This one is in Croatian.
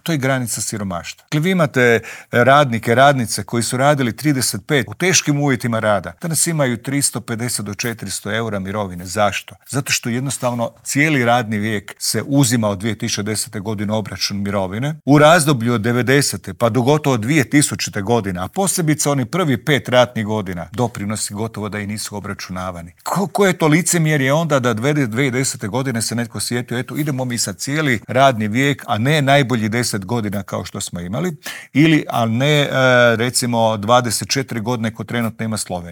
To je granica siromaštva. Dakle, vi imate radnike, radnice koji su radili 35 u teškim uvjetima rada. Danas imaju 350 do 400 eura mirovine. Zašto? Zato što jednostavno cijeli radni vijek se uzima od 2010. godine obračun mirovine. U razdoblju od 90. pa do gotovo 2000. godine, a posebice oni prvi 5 ratnih godina, doprinosi gotovo da i nisu obračunavani. Koje je to licemjerje onda da 2010. godine se netko sjetio, eto idemo mi sad cijeli radni vijek, a ne najbolji 10 godina kao što smo imali, ili a ne recimo 24 godine ko trenutno ima Slovenija.